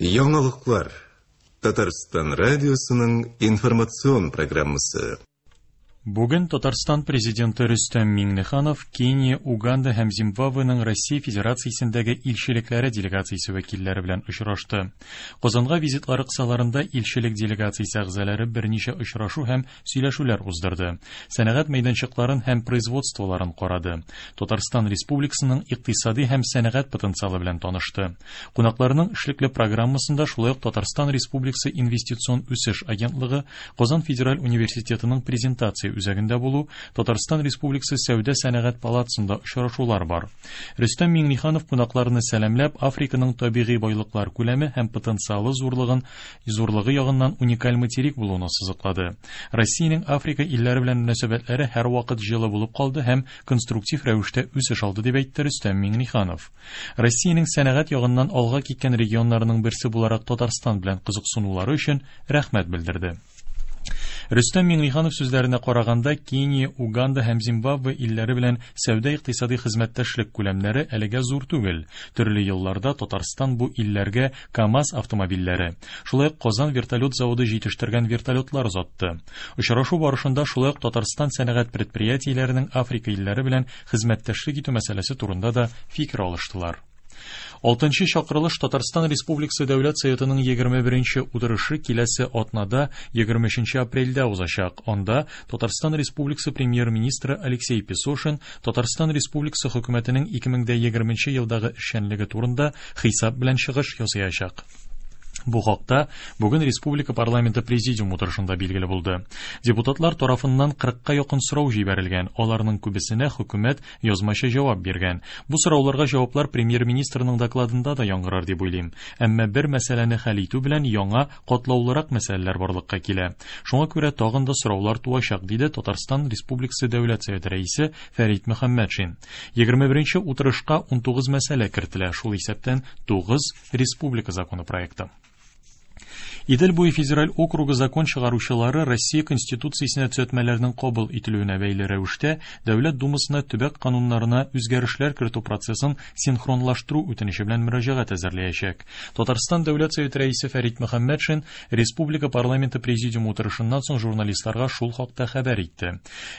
Яңалыклар. Татарстан радиосының информацион программасы. Бүген Татарстан президенты Рөстәм Миңнеханов Кения, Уганда һәм Зимбабвеның Россия Федерациясендәге илчелекләре делегациясе вәкилләре белән очрашты. Казанга визитлары кысаларында илчелек делегациясе әгъзалары берничә очрашу һәм сөйләшүләр уздырды. Сәнәгать мәйданчыкларын һәм производстволарын карады. Татарстан Республикасының икътисади һәм сәнәгать потенциалы белән танышты. Кунакларның эшлекле программасында шулай ук Татарстан Республикасы Инвестицион үсеш агентлыгы, Казан федераль университетының презентация үзәгендә булу, Татарстан Республикасы Сәүдә-сәнәгать палатасында очрашулар бар. Рөстәм Миңнеханов кунакларны сәламләп, Африканың табигый байлыклар күләме һәм потенциалы зурлыгын зурлыгы ягыннан уникаль материк булуын ассызыклады. Россиянең Африка илләре белән мөнәсәбәтләре һәрвакыт җылы булып калды һәм конструктив рәвештә үсеш алды, дип әйтте Рөстәм Миңнеханов. Россиянең сәнәгать ягыннан алга киткән регионнарының берсе буларак Татарстан белән кызыксынулары өчен рәхмәт белдерде. Рөстәм Миңнеханов сүзләренә караганда, Кения, Уганда һәм Зимбабве илләре белән сәүдә-икътисади хезмәттәшлек күләмнәре әлегә зур түгел. Төрле елларда Татарстан бу илләргә КАМАЗ автомобильләре, шулай ук Казан вертолет заводы җитештергән вертолетлар озатты. Очрашу барышында шулай ук Татарстан сәнәгать предприятиеләренең Африка илләре белән хезмәттәшлек итү мәсьәләсе турында да фикер алыштылар. Алтынчы чакырылыш Татарстан Республикасы Дәүләт Советының 21 утырышы киләсе атнада 23 апрельдә узачак. Анда Татарстан Республикасы премьер-министры Алексей Песошин Татарстан Республикасы хөкүмәтенең 2020 елдагы эшчәнлеге турында хисап белән чыгыш ясаячак. Бу хакта бүген Республика парламенты президиум утырышында билгеле булды. Депутатлар тарафыннан 40-ка якын сорау җибәрелгән, аларның күбесенә хөкүмәт язмача җавап биргән. Бу сорауларга җаваплар премьер-министрның докладында да яңгырар дип уйлыйм. Әмма бер мәсьәләне хәл итү белән яңа, катлаулырак мәсьәләләр барлыкка килә. Шуңа күрә тагын да сораулар туачак, диде Татарстан Республикасы Дәүләт Советы рәисе Фәрит Мөхәммәтшин. 21 утырышка 19 мәсьәлә кертелә, шул исәптән 9 республика законы проекты. Идел буе федераль округы закон чыгаручылары Россия Конституциясенә төзәтмәләрнең кабул ителүенә бәйле рәвештә Дәүләт Думасына төбәк кануннарына үзгәрешләр кертү процессын синхронлаштыру үтенече белән мөрәҗәгать әзерләячәк. Татарстан Дәүләт Советы рәисе Фәрит Мөхәммәтшин республика парламенты президиумы утырышыннан соң журналистларга шул хакта хәбәр итте.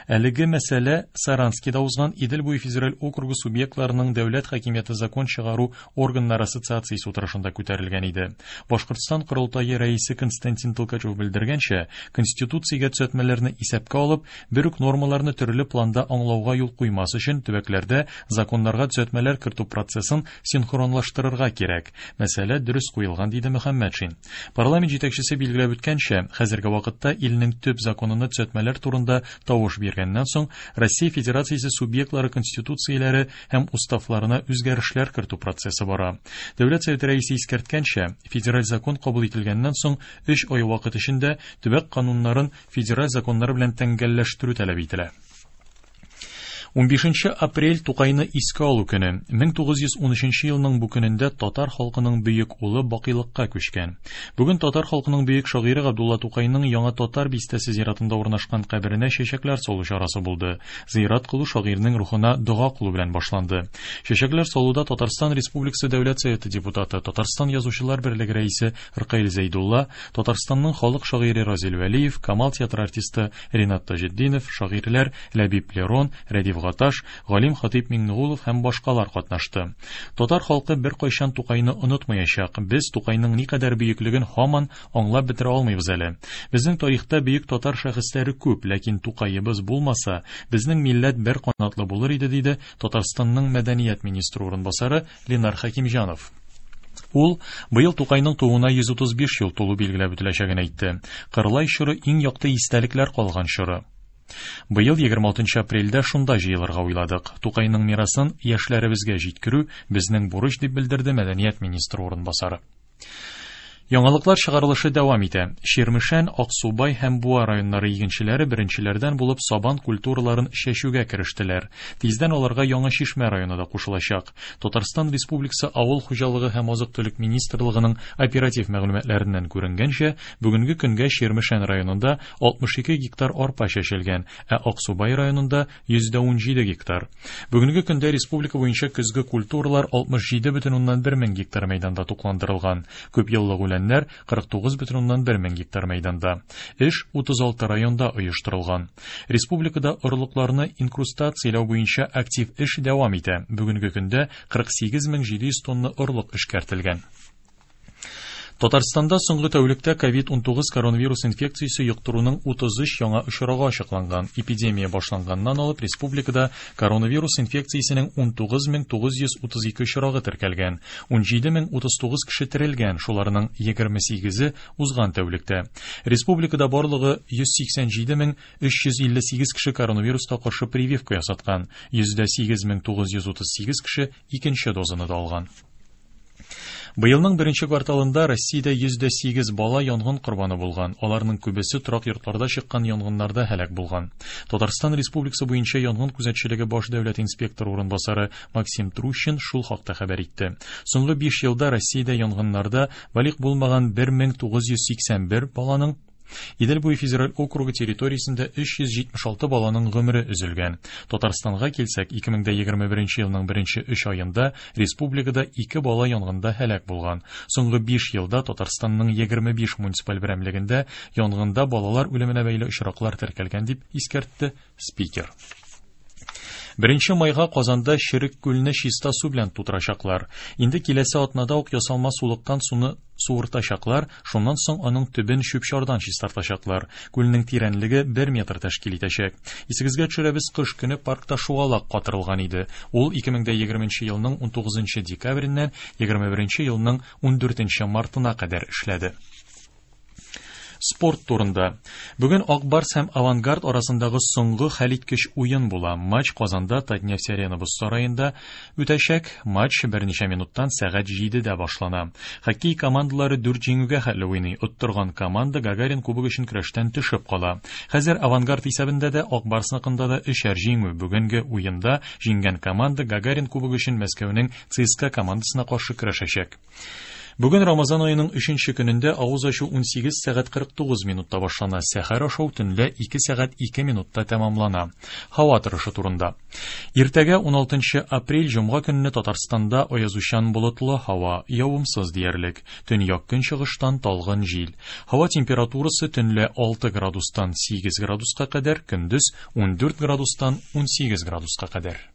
Әлеге мәсьәлә Саранскида узган Идел буе федераль округы субъектларының дәүләт хакимияте закон чыгару органнар ассоциациясе утырышында күтәрелгән иде. Башкортстан Корылтае рәисе Константин Толкачев белдергәнчә, Конституциягә төзәтмәләрне исәпкә алып, бер үк нормаларны төрле планда аңлауга юл куймас өчен төбәкләрдә законнарга төзәтмәләр кертү процессын синхронлаштырырга кирәк. Мәсьәлә дөрес куелган, диде Мөхәммәтшин. Парламент җитәкчесе билгеләп үткәнчә, хәзерге вакытта илнең төп законына төзәтмәләр турында тавыш биргәннән соң, Россия Федерациясе субъектлары конституцияләре һәм уставларына үзгәрешләр кертү процессы бара. Дәүләт Советы рәисе искәрткәнчә, федераль закон кабул ителгәннән соң 3 ай вакыт эчендә төбәк кануннарын федераль законнар белән тәңгәлләштерү таләп ителә. 15 апрель Тукайны искә алу көне. 1913 елның бу көнендә татар халкының бөек улы бакыйлыкка күчкән. Бүген татар халкының бөек шагыйре Габдулла Тукайның Яңа Татар бистәсе зиратында урнашкан каберенә чәчәкләр салу чарасы булды. Зыярат кылу шагыйрьнең рухына дога кылу белән башланды. Чәчәкләр салуда Татарстан Республикасы Дәүләт Советы депутаты, Татарстан Язучылар берлеге рәисе Ркаил Зәйдулла, Татарстанның халык шагыйре Разил Вәлиев, Камал театры артисты Ринат Таҗетдинов, шагыйрьләр Ләбиб Лерон, Рәдиф Гаташ, Галим Хатыйп Миңнегулов һәм башкалар катнашты. Татар халкы беркайчан Тукайны онытмаячак. Без Тукайның никадәр бөеклеген һаман аңлап бетерә алмыйбыз әле. Безнең тарихта бөек татар шәхесләре күп, ләкин Тукаебыз булмаса, безнең милләт бер канатлы булыр иде, диде Татарстанның мәдәният министры урынбасары Ленар Хәкимҗанов. Ул быел Тукайның тууына 135 ел тулу билгеләп үтеләчәген әйтте. Кырлай чоры иң якты истәлекләр калган чоры. Быел 26 апрельдә шунда җыелырга уйладык. Тукайның мирасын яшьләребезгә җиткерү безнең бурыч, дип белдерде мәдәният министры урынбасары. Яңалыклар чыгарылышы дәвам итә. Чирмешән, Аксубай һәм Буа районнары игенчеләре беренчеләрдән булып сабан культураларын чәчүгә керештеләр. Тиздән аларга Яңа Чишмә районы да кушылачак. Татарстан Республикасы Авыл хуҗалыгы һәм азык-төлек министрлыгының оператив мәгълүматларыннан күренгәнчә, бүгенге көнгә Чирмешән районында 62 гектар арпа чәчелгән, ә Аксубай районында 117 гектар. Бүгенге көндә республика буенча көзге культуралар 67,1 мең гектар мәйданда тукландырылган. Күпьеллык үләннәр 49,1 мең гектар мәйданда. Эш 36 районда оештырылган. Республикада орлыкларны инкрустацияләү буенча актив эш дәвам итә. Бүгенге көндә 48 700 тонна орлык эшкәртелгән. Татарстанда соңгы тәүлектә COVID-19 коронавирус инфекциясе йоктыруның 33 яңа очрагы ачыкланган. Эпидемия башланганнан алып республикада коронавирус инфекциясенең 19932 очрагы теркәлгән. 17039 кеше терелгән, шуларның 28-е узган тәүлектә. Республикада барлыгы 187358 кеше коронавируска каршы прививка ясаткан. 108 938 кеше икенче дозаны да алган. Быелның беренче кварталында Россиядә 108 бала янгын корбаны булган. Аларның күбесе торак йортларда чыккан янгыннарда һәлак булган. Татарстан Республикасы буенча янгын күзәтчелеге баш дәүләт инспекторы урынбасары Максим Трущин шул хакта хәбәр итте. Соңгы 5 елда Россиядә янгыннарда балигъ булмаган 1981 баланың, Идел буе федераль округы территориясендә 376 баланың гомере өзелгән. Татарстанга килсәк, 2021 елның беренче 3 аенда республикада 2 бала янгында һәлак булган. Соңгы 5 елда Татарстанның 25 муниципаль берәмлегендә янгында балалар үлеменә бәйле очраклар теркәлгән, дип искәртте спикер. 1 майга Казанда Черек күлне чиста су белән тутырачаклар. Инде киләсе атнада ук ясалма сулыктан суны суыртачаклар, шуннан соң аның төбен чүп-чардан чистартачаклар. Күлнең тирәнлеге 1 метр тәшкил итәчәк. Исегезгә төшерәбез, кыш көне паркта шугалак катырылган иде. Ул 2020 елның 19 декабреннән 21 елның 14 мартына кадәр эшләде. Спорт турында. Бүген Ак Барс һәм Авангард арасындагы соңгы хәлиткеч уен була. Матч Казанда Татнефть Арена боз сараенда үтәчәк. Матч берничә минуттан сәгать 7дә башлана. Хоккей командалары 4 җиңүгә хәтле уйный. Оттырган команда Гагарин кубогы өчен көрәштән төшеп кала. Хәзер Авангард исәбендә дә, Ак Барсныкында да өчәр җиңү. Бүгенге уенда җиңгән команда Гагарин кубогы өчен Мәскәүнең ЦСКА командасына каршы көрәшәчәк. Бүген Рамазан аеның 3 көнендә авыз ачу 18 сәгать 49 минутта башлана. Сәхәр ашау төнлә 2 сәгать 2 минутта тәмамлана. Һава торышы турында. Иртәгә 16 апрель җомга көнне Татарстанда аязучан болытлы һава, явымсыз диярлек. Төньяк көнчыгыштан талгын җил. Һава температурасы төнлә 6 градустан 8 градуска кадәр, көндез 14 градустан 18 градуска кадәр.